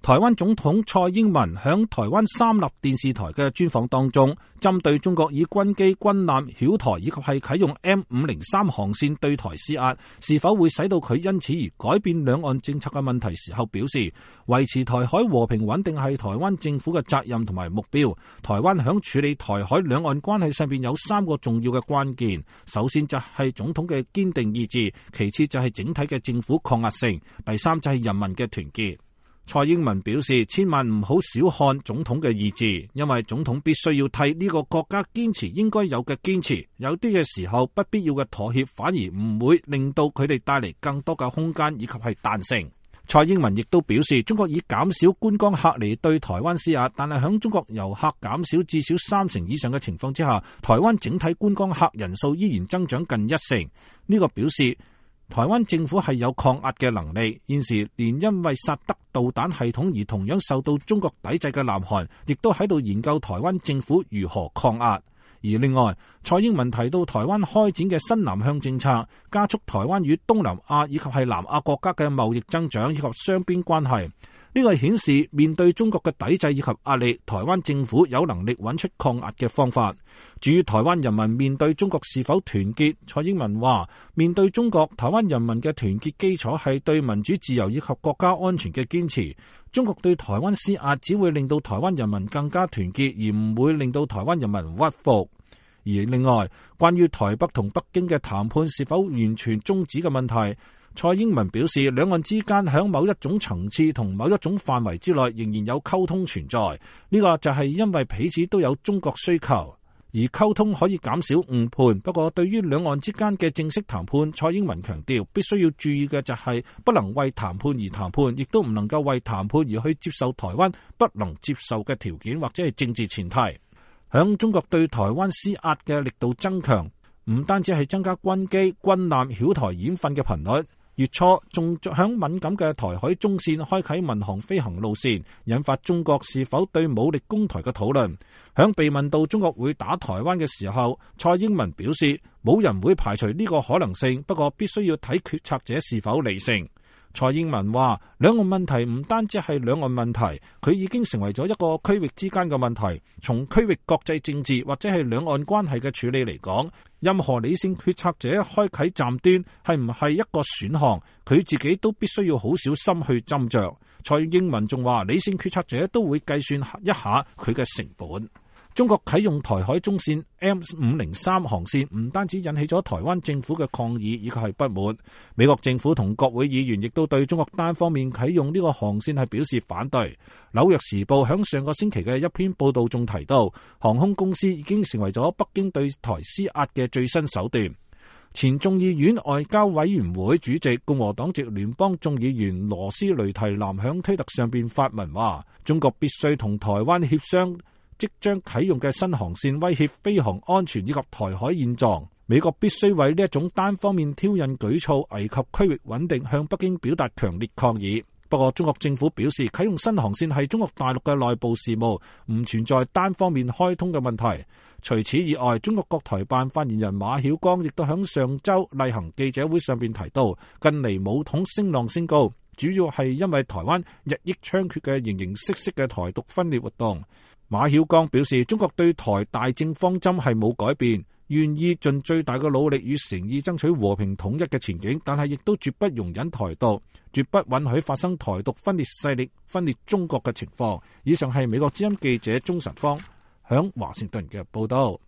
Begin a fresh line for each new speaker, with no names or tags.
台灣總統蔡英文響台灣三立電視台嘅專訪當中，針對中國以軍機、軍艦繞台以及係啟用 M503 航線對台施壓，是否會使到佢因此而改變兩岸政策嘅問題時候表示，維持台海和平穩定係台灣政府嘅責任同埋目標。台灣響處理台海兩岸關係上邊有3個重要嘅關鍵，首先就係總統嘅堅定意志，其次就係整體嘅政府抗壓性，第三就係人民嘅團結。蔡英文表示，千萬唔好小看總統嘅意志，因為總統必須要替呢個國家堅持應該有嘅堅持，有啲嘅時候不必要嘅妥協反而唔會令到佢哋帶嚟更多嘅空間以及係彈性。蔡英文亦都表示，中國以減少觀光客嚟對台灣施壓，但係響中國遊客減少至少30%以上嘅情況之下，台灣整體觀光客人數依然增長近1成。呢個表示台灣政府係有抗壓嘅能力，現時連因為薩德導彈系統而同樣受到中國抵制嘅南韓，亦都喺度研究台灣政府如何抗壓。而另外，蔡英文提到台灣開展嘅新南向政策，加速台灣與東南亞以及係南亞國家嘅貿易增長以及雙邊關係。呢個顯示面對中國嘅抵制以及壓力，台灣政府有能力揾出抗壓嘅方法。至於台灣人民面對中國是否團結，蔡英文話：面對中國，台灣人民嘅團結基礎係對民主自由以及國家安全嘅堅持。中國對台灣施壓只會令到台灣人民更加團結，而唔會令到台灣人民屈服。而另外，關於台北同北京嘅談判是否完全終止嘅問題，蔡英文表示，兩岸之間喺某一種層次同某一種範圍之內仍然有溝通存在，呢個就係因為彼此都有中國需求，而溝通可以減少誤判。不過對於兩岸之間嘅正式談判，蔡英文強調必須要注意嘅就係不能為談判而談判，亦都唔能夠為談判而去接受台灣不能接受嘅條件或者係政治前提。響中國對台灣施壓嘅力度增強，唔單止係增加軍機、軍艦繞台演訓嘅頻率，月初仲響敏感嘅台海中線開啟民航飛行路線，引發中國是否對武力攻台嘅討論。響被問到中國會打台灣嘅時候，蔡英文表示冇人會排除呢個可能性，不過必須要睇決策者是否理性。蔡英文話，兩岸問題唔單止係兩岸問題，佢已經成為咗一個區域之間嘅問題。從區域國際政治或者係兩岸關係嘅處理嚟講，任何理性決策者開啟站端係唔係一個選項，佢自己都必須要好小心去斟酌。蔡英文仲話，理性決策者都會計算一下佢嘅成本。中國啟用台海中線 M503 航線，唔單止引起咗台灣政府嘅抗議以及係不滿，美國政府同國會議員亦都對中國單方面啟用呢個航線係表示反對。紐約時報響上個星期嘅一篇報道中提到，航空公司已經成為咗北京對台施壓嘅最新手段。前眾議院外交委員會主席共和黨籍聯邦眾議員羅斯雷提南響推特上邊發文話，中國必須同台灣協商即將啟用嘅新航線威脅飛航安全以及台海現狀，美國必須為呢一種單方面挑釁舉措危及區域穩定向北京表達強烈抗議。不過中國政府表示，啟用新航線係中國大陸嘅內部事務，唔存在單方面開通嘅問題。除此以外，中國國台辦發言人馬曉光亦都響上周例行記者會上邊提到，近嚟武統聲浪升高，主要係因為台灣日益猖獗嘅形形色色嘅台獨分裂活動。馬曉光表示，中國對台大政方針係冇改變，願意盡最大嘅努力與誠意爭取和平統一嘅前景，但係亦都絕不容忍台獨，絕不允許發生台獨分裂勢力分裂中國嘅情況。以上係美國之音記者鍾晨芳響華盛頓嘅報道。